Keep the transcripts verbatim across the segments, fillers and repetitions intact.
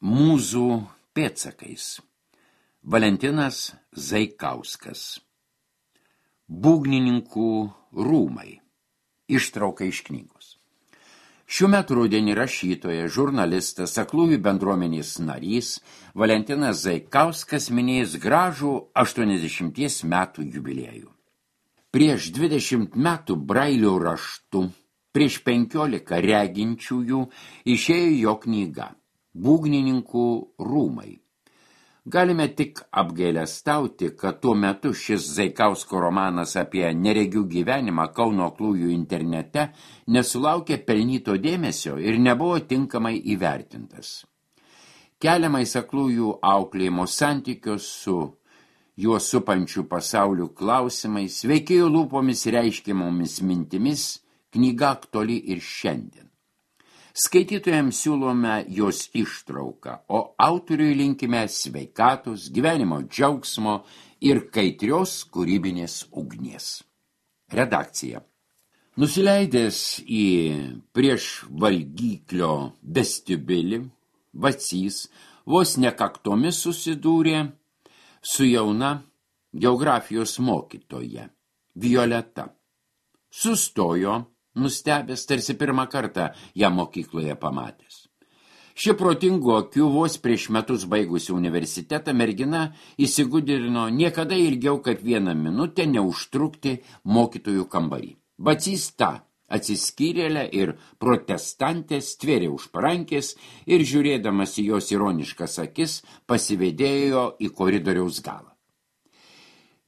Mūzų pėdsakais. Valentinas Zaikauskas. Būgnininkų rūmai. Ištrauka iš knygos. Šiuo metu rudenį rašytoja, žurnalistas, aklųjų bendruomenės narys Valentinas Zaikauskas minėjęs gražų aštuoniasdešimties metų jubiliejų. Prieš dvidešimt metų brailio raštu, prieš penkiolika reginčiųjų išėjo jo knyga Būgnininkų rūmai. Galime tik apgailestauti, kad tuo metu šis Zaikausko romanas apie neregių gyvenimą Kauno aklųjų internete nesulaukė pelnyto dėmesio ir nebuvo tinkamai įvertintas. Keliamais aklųjų auklėjimo santykios su juos supančių pasaulių klausimais, veikėjų lūpomis reiškiamomis mintimis, knyga aktuali ir šiandien. Skaitytojams siūlome jos ištrauką, o autoriui linkime sveikatos, gyvenimo džiaugsmo ir kaitrios kūrybinės ugnies. Redakcija. Nusileidęs į prieš valgyklio vestibiulį, Vacys vos nekaktomis susidūrė su jauna geografijos mokytoja, Violeta. Sustojo, nustebęs, tarsi pirmą kartą ją mokykloje pamatęs. Ši protingų akių vos prieš metus baigusi universitetą mergina įsigudrino niekada ilgiau kaip vieną minutę neužtrukti mokytojų kambarį. Vacys tą atsiskyrėlę ir protestantę stvėrė už parankės ir žiūrėdamas į jos ironiškas akis pasivedėjo į koridoriaus galą.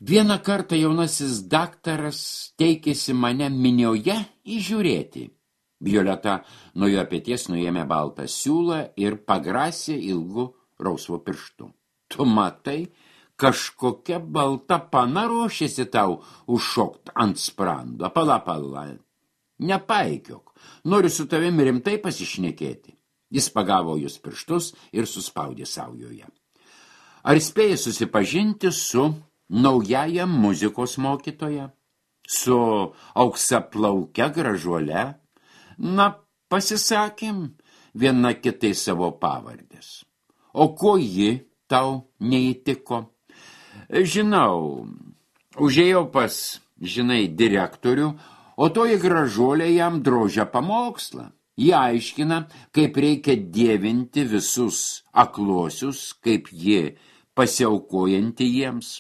Vieną kartą jaunasis daktaras teikėsi mane minioje įžiūrėti. Violeta nuo jo peties nuėmė baltą siūlą ir pagrasė ilgu rausvu pirštu. Tu matai, kažkokia balta pana ruošiasi tau užšokt ant sprando. Pala, pala, nepaikiok, noriu su tavimi rimtai pasišnekėti. Jis pagavo jos pirštus ir suspaudė saujoje. Ar spėjai susipažinti su naująją muzikos mokytoja, su auksaplauke gražuole? Na, pasisakėm viena kitai savo pavardės. O ko ji tau neįtiko? Žinau, užėjau pas, žinai, direktorių, o toji gražuolė jam drožia pamokslą. Ji aiškina, kaip reikia dievinti visus akluosius, kaip ji pasiaukojanti jiems.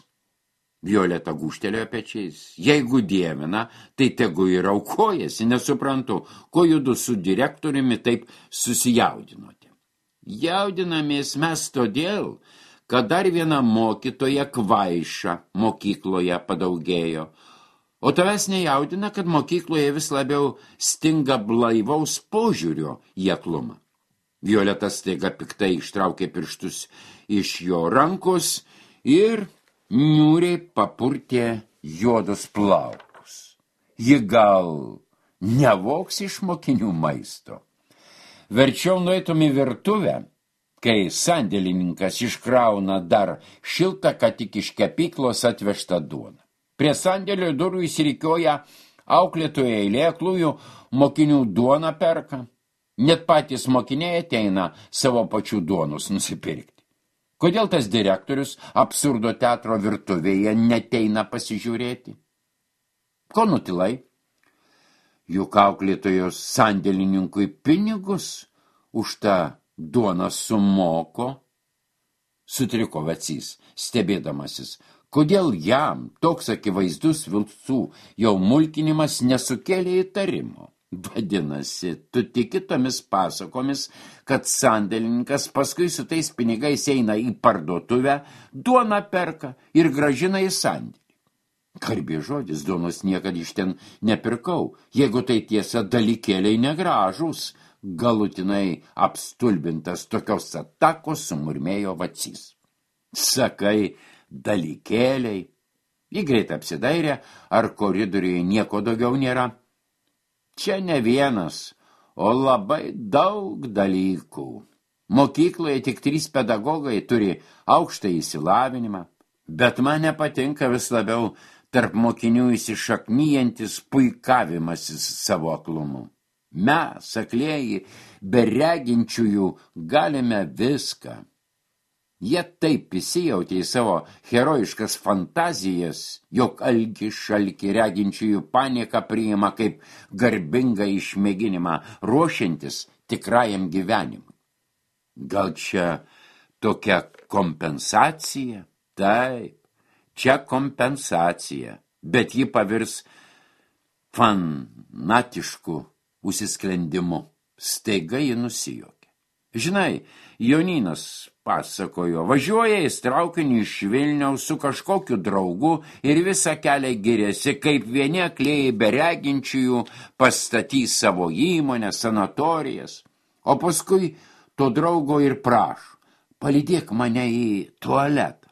Violeta gūžtelėjo pečiais. Jeigu dievina, tai tegu ir aukojasi. Nesuprantu, ko judu su direktoriumi taip susijaudinote. Jaudinamės mes todėl, kad dar viena mokytoja kvaiša mokykloje padaugėjo. O tavęs nejaudina, kad mokykloje vis labiau stinga blaivaus požiūrio į aklumą. Violeta staiga piktai ištraukė pirštus iš jo rankos ir niūriai papurtė juodus plaukus. Ji gal nevoks iš mokinių maisto. Verčiau nueitum į virtuvę, kai sandėlininkas iškrauna dar šiltą, kad tik iš kepyklos atvežtą duoną. Prie sandėlio durų įsirikioja auklėtojo eilė, aklųjų mokinių duoną perka. Net patys mokiniai ateina savo pačių duonus nusipirkti. Kodėl tas direktorius absurdo teatro virtuvėje neteina pasižiūrėti? Ko nutilai? Juk auklėtojos sandėlininkui pinigus už tą duoną sumoko. Sutriko Vacys, stebėdamasis. Kodėl jam toks akivaizdus vilcų jau mulkinimas nesukėlė įtarimo? Vadinasi, tu tiki tomis pasakomis, kad sandėlininkas paskui su tais pinigais eina į parduotuvę, duoną perka ir grąžina į sandėlį. Garbė žodis, duonos niekad iš ten nepirkau, jeigu tai tiesa dalykėliai negražūs, galutinai apstulbintas tokios atakos sumurmėjo Vacys. Sakai, dalykėliai. Ji greit apsidairė, ar koridoriuje nieko daugiau nėra. Čia ne vienas, o labai daug dalykų. Mokykloje tik trys pedagogai turi aukštą įsilavinimą, bet man nepatinka vis labiau tarp mokinių įsišaknyjantis puikavimasis savo aklumu. Mes, aklieji, be reginčiųjų galime viską. Jie taip įsijautė į savo herojiškas fantazijas, jog alkį šalkį reginčiųjų paniką priima kaip garbingą išmėginimą, ruošiantis tikrajam gyvenimui. Gal čia tokia kompensacija? Taip, čia kompensacija, bet ji pavirs fanatišku užsisklendimu. Staiga ji nusijuokė. Žinai, Jonynas pasakojo, važiuoja į traukinį iš Vilniaus su kažkokiu draugu ir visą kelią giriasi, kaip vieni aklieji bereginčiųjų pastatys savo įmonę, sanatorijas, o paskui to draugo ir prašo, palydėk mane į tualetą.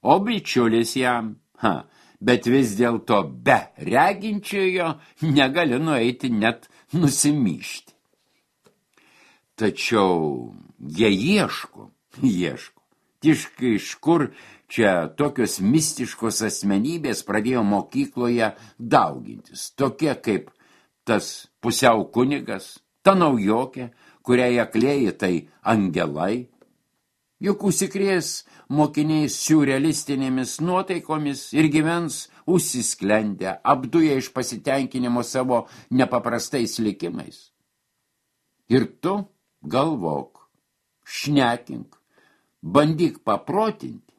O bičiulis jam, ha, bet vis dėlto be reginčiojo negali nueiti net nusimyšti. Tačiau jie ieško, ieško. Tiškai iš kur čia tokios mistiškos asmenybės pradėjo mokykloje daugintis. Tokie kaip tas pusiau kunigas, ta naujokė, kuriai aklieji tai angelai. Juk užsikrės mokiniai siurrealistinėmis nuotaikomis ir gyvens užsisklendę, apduję iš pasitenkinimo savo nepaprastais likimais. Ir tu galvok, šnekink, bandyk paprotinti.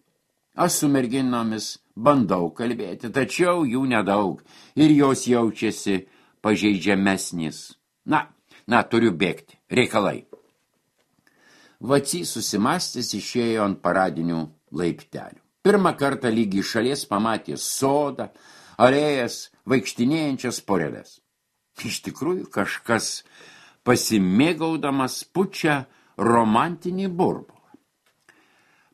Aš su merginomis bandau kalbėti, tačiau jų nedaug ir jos jaučiasi pažeidžiamesnis. Na, na, turiu bėgti, reikalai. Vacys susimastęs išėjo ant paradinių laiptelių. Pirmą kartą lygiai šalies pamatė sodą, alėjas, vaikštinėjančias poreles. Iš tikrųjų kažkas pasimėgaudamas pučia romantinį burbulą.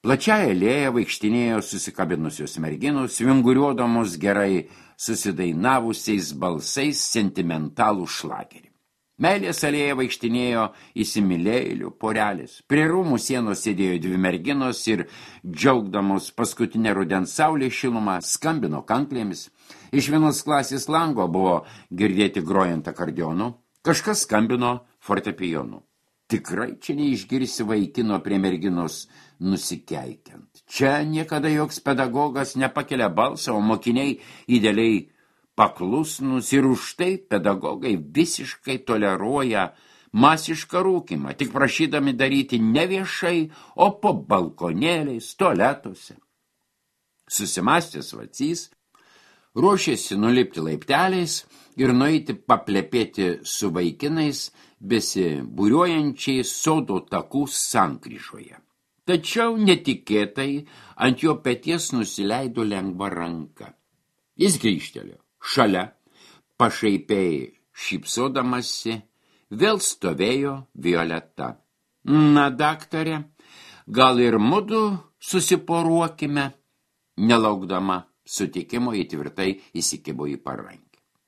Plačiąją alėją vaikštinėjo susikabinusios merginos, vinguriuodamos gerai susidainavusiais balsais sentimentalų šlagerį. Meilės alėja vaikštinėjo įsimylėjėlių porelės. Prie rūmų sienos sėdėjo dvi merginos ir, džiaugdamos paskutinę rudens saulės šilumą, skambino kanklėmis. Iš vienos klasės lango buvo girdėti grojant akordeonu, kažkas skambino fortepijonu. Tikrai čia neišgirsi vaikino prie merginos nusikeikiant. Čia niekada joks pedagogas nepakelia balsą, o mokiniai idealiai paklusnus ir už tai pedagogai visiškai toleruoja masišką rūkimą, tik prašydami daryti ne viešai, o po balkonėliais, tualetuose. Susimastęs Vacys ruošėsi nulipti laipteliais ir nueiti paplepėti su vaikinais besibūriuojančiais sodo takų sankryžoje. Tačiau netikėtai ant jo peties nusileido lengva ranka. Jis grįžtelėjo. Šalia, pašaipiai šypsodamasi, vėl stovėjo Violeta. Na, daktare, gal ir mudu susiporuokime, nelaukdama sutikimo įtvirtai įsikibo į parankį.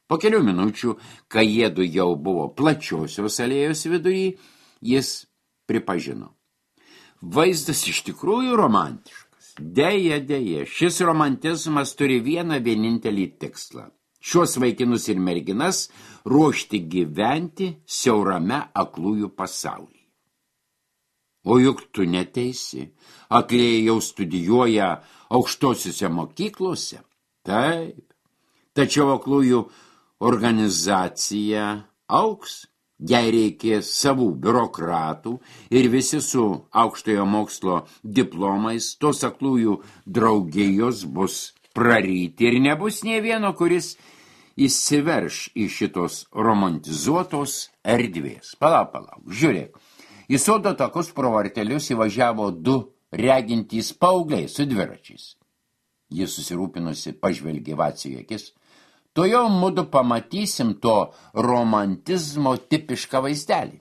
Po kelių minučių, kai jiedu jau buvo plačiosios alėjos vidury, jis pripažino. Vaizdas iš tikrųjų romantiškas. Deja, deja, šis romantizmas turi vieną vienintelį tikslą. Šios vaikinus ir merginas ruošti gyventi siaurame aklųjų pasaulyje. O juk tu neteisi, aklieji jau studijuoja aukštosiuose mokyklose. Taip, tačiau aklųjų organizacija auks, jai reikės savų biurokratų ir visi su aukštojo mokslo diplomais tos aklųjų draugijos bus praryti ir nebus nė vieno, kuris įsiverš į šitos romantizuotos erdvės. Palauk, palauk, žiūrėk. Į sodo takus pro vartelius įvažiavo du regintys paaugliai su dviračiais. Jis susirūpinusi pažvelgė Vaciui akis. To jau mudu pamatysim to romantizmo tipišką vaizdelį.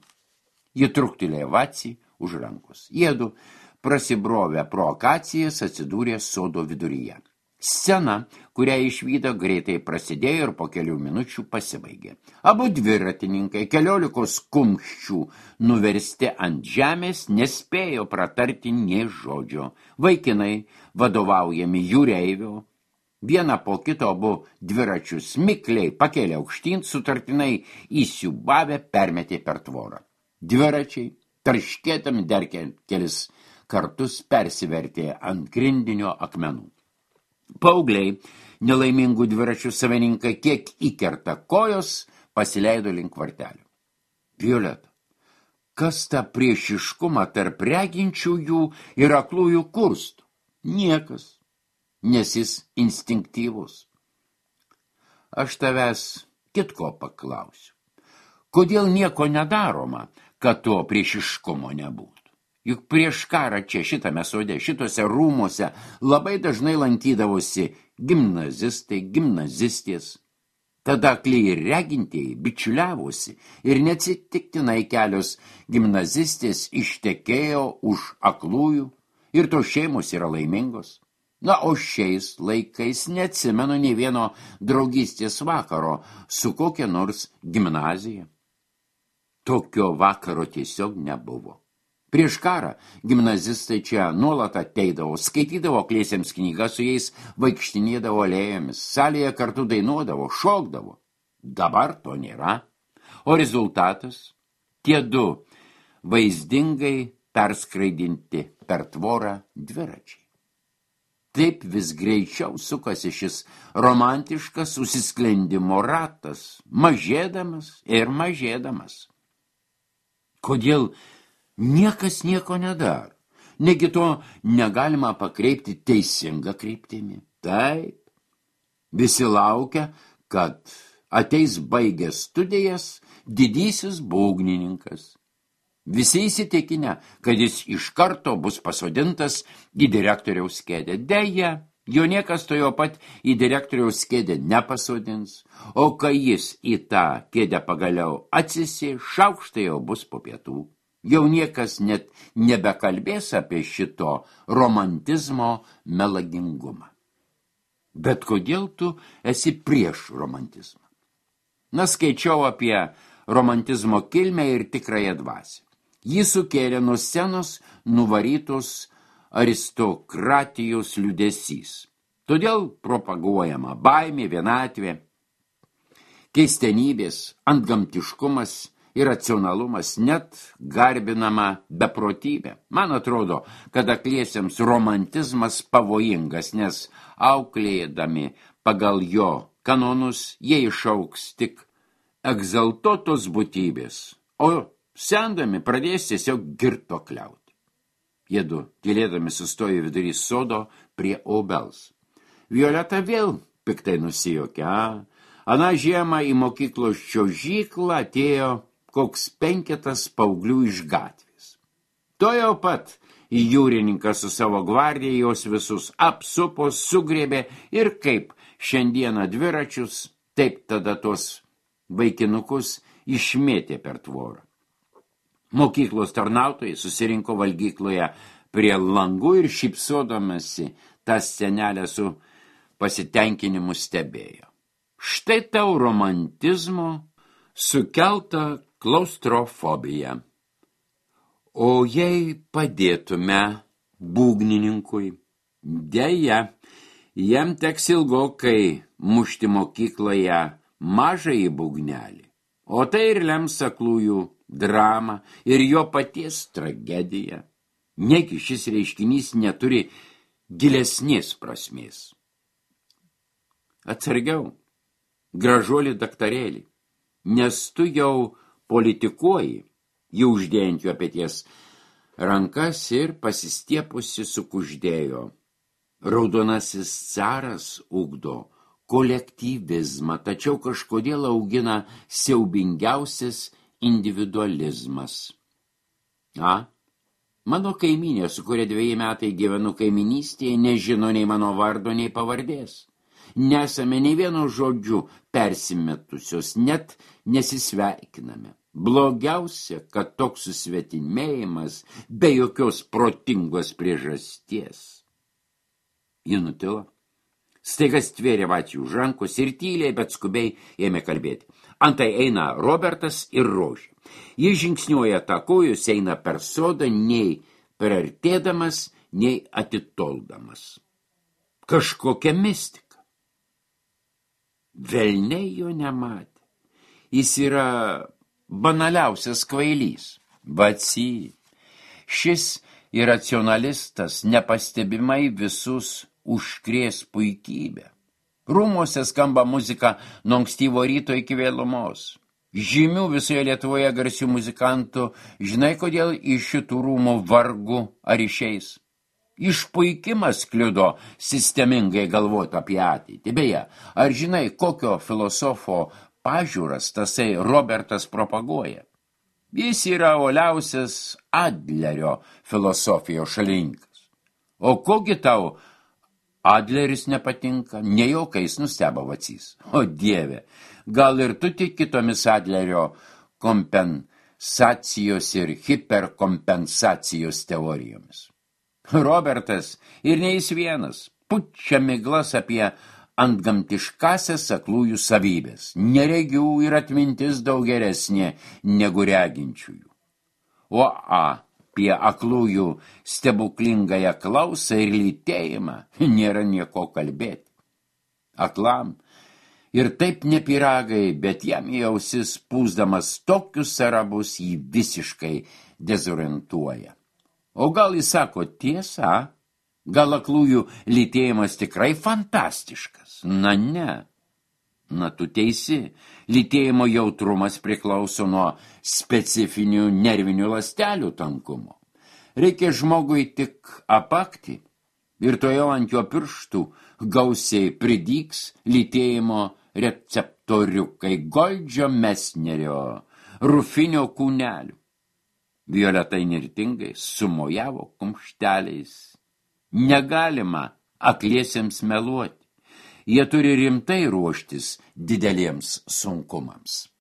Ji truktelėjo Vacį už rankos. Jiedu prasibrovę pro akacijas atsidūrė sodo viduryje. Scena, kurią išvydo, greitai prasidėjo ir po kelių minučių pasibaigė. Abu dviratininkai, keliolikos kumščių nuversti ant žemės, nespėjo pratarti nė žodžio. Vaikinai, vadovaujami jūreivio, Vieną po kito abu dviračius mikliai pakėlė aukštyn, sutartinai įsiubavę permetė per tvorą. Dviračiai, tarškėtami dar kelis kartus persivertė ant grindinio akmenų. Paaugliai, nelaimingų dviračių savininkai, kiek įkerta kojos, pasileido link vartelių. Violeta, kas tą priešiškumą tarp reginčiųjų ir aklųjų kurstų? Niekas, nes jis instinktyvus. Aš tavęs kitko paklausiu. Kodėl nieko nedaroma, kad to priešiškumo nebūtų? Juk prieš karą čia šitame sode, šitose rūmuose labai dažnai lankydavosi gimnazistai, gimnazistės. Tada akliai ir regintieji bičiuliavosi ir neatsitiktinai kelios gimnazistės ištekėjo už aklųjų ir tos šeimos yra laimingos. Na, o šiais laikais neatsimenu nei vieno draugystės vakaro su kokia nors gimnazija. Tokio vakaro tiesiog nebuvo. Prieš karą gimnazistai čia nuolat ateidavo, skaitydavo akliesiems knygas, su jais vaikštinėdavo alėjomis, salėje kartu dainuodavo, šokdavo. Dabar to nėra. O rezultatas? Tie du vaizdingai perskraidinti per tvorą dviračiai. Taip vis greičiau sukasi šis romantiškas užsisklendimo ratas, mažėdamas ir mažėdamas. Kodėl niekas nieko nedaro? Negi to negalima pakreipti teisinga kryptimi? Taip. Visi laukia, kad ateis baigęs studijas didysis būgnininkas. Visi įsitikinę, kad jis iš karto bus pasodintas į direktoriaus kėdę. Deja, jo niekas to jo pat į direktoriaus kėdę nepasodins, o kai jis į tą kėdę pagaliau atsisės, šaukštai jau bus po pietų. Jau niekas net nebekalbės apie šito romantizmo melagingumą. Bet kodėl tu esi prieš romantizmą? Na, skaičiau apie romantizmo kilmę ir tikrąją dvasią. Jį sukėlė nuo scenos nuvarytos aristokratijos liūdesys. Todėl propaguojama baimė, vienatvė, keistenybės, antgamtiškumas ir racionalumas, net garbinama beprotybė. Man atrodo, kad akliesiems romantizmas pavojingas, nes auklėdami pagal jo kanonus jie išaugs tik egzaltuotos būtybės, o sendami pradės tiesiog girtuokliauti. Jiedu tylėdami sustojo vidury sodo prie obels. Violeta vėl piktai nusijuokė. Aną žiemą į mokyklos čiuožyklą atėjo koks penketas paauglių iš gatvės. To jau pat į jūrininką su savo gvardija jos visus apsupo, sugrėbė ir kaip šiandieną dviračius, taip tada tos vaikinukus išmėtė per tvorą. Mokyklos tarnautojai susirinko valgykloje prie langų ir šypsodamasi tą scenelę su pasitenkinimu stebėjo. Štai tau romantizmo sukelta klaustrofobija. O jei padėtume būgnininkui, deja, jam teks ilgokai mušti mokykloje mažąjį būgnelį, o tai ir lems aklųjų dramą ir jo paties tragediją. Negi šis reiškinys neturi gilesnės prasmės. Atsargiau, gražuolį daktarėlį, nes tu jau politikuoji, jį uždėjant jo peties rankas ir pasistiepusi sukuždėjo. Raudonasis caras ugdo kolektyvizmą, tačiau kažkodėl augina siaubingiausias individualizmas. A, mano kaimynė, su kuria dveji metai gyvenu kaiminystėje, nežino nei mano vardo, nei pavardės. Nesame nei vieno žodžiu persimetusios, net nesisveikiname. Blogiausia, kad toks susvetimėjimas be jokios protingos priežasties. Ji nutilo. Staiga stvėrė Vacių už rankos ir tyliai, bet skubiai ėmė kalbėti. Antai eina Robertas ir Rožė. Jis žingsniuoja takojus, eina per sodą, nei priartėdamas, nei atitoldamas. Kažkokia mistika. Velniai jo nematė. Jis yra banaliausias kvailys. Vacy. Šis iracionalistas nepastebimai visus užkrės puikybę. Rūmuose skamba muzika nuo ankstyvo ryto iki vėlumos. Žymių visoje Lietuvoje garsių muzikantų, žinai, kodėl iš šitų rūmų vargu ar išeis? Išpuikimas kliudo sistemingai galvoti apie ateitį. Beje, ar žinai, kokio filosofo pažiūras tasai Robertas propaguoja? Jis yra uoliausias Adlerio filosofijos šalininkas. O kogi tau Adleris nepatinka? Ne juokais nustebo Vacys. O Dieve, gal ir tu tik kitomis Adlerio kompensacijos ir hiperkompensacijos teorijomis. Robertas ir ne jis vienas pučia miglas apie antgamtiškasias aklųjų savybės. Neregių ir atmintis daug geresnė negu reginčiųjų. O apie aklųjų stebuklingąją klausą ir lytėjimą nėra nieko kalbėti. Aklam ir taip ne piragai, bet jam į ausis pūsdamas tokius arabus jį visiškai dezorientuoja. O gal jis sako tiesą? Gal aklųjų lytėjimas tikrai fantastiškas? Na ne. Na tu teisi, lytėjimo jautrumas priklauso nuo specifinių nervinių ląstelių tankumo. Reikia žmogui tik apakti ir tojau ant jo pirštų gausiai pridygs lytėjimo receptoriukai Goldžio Mesnerio rufinio kūnelių. Violeta įnirtingai sumojavo kumšteliais. Negalima akliesiems meluoti. Jie turi rimtai ruoštis dideliems sunkumams.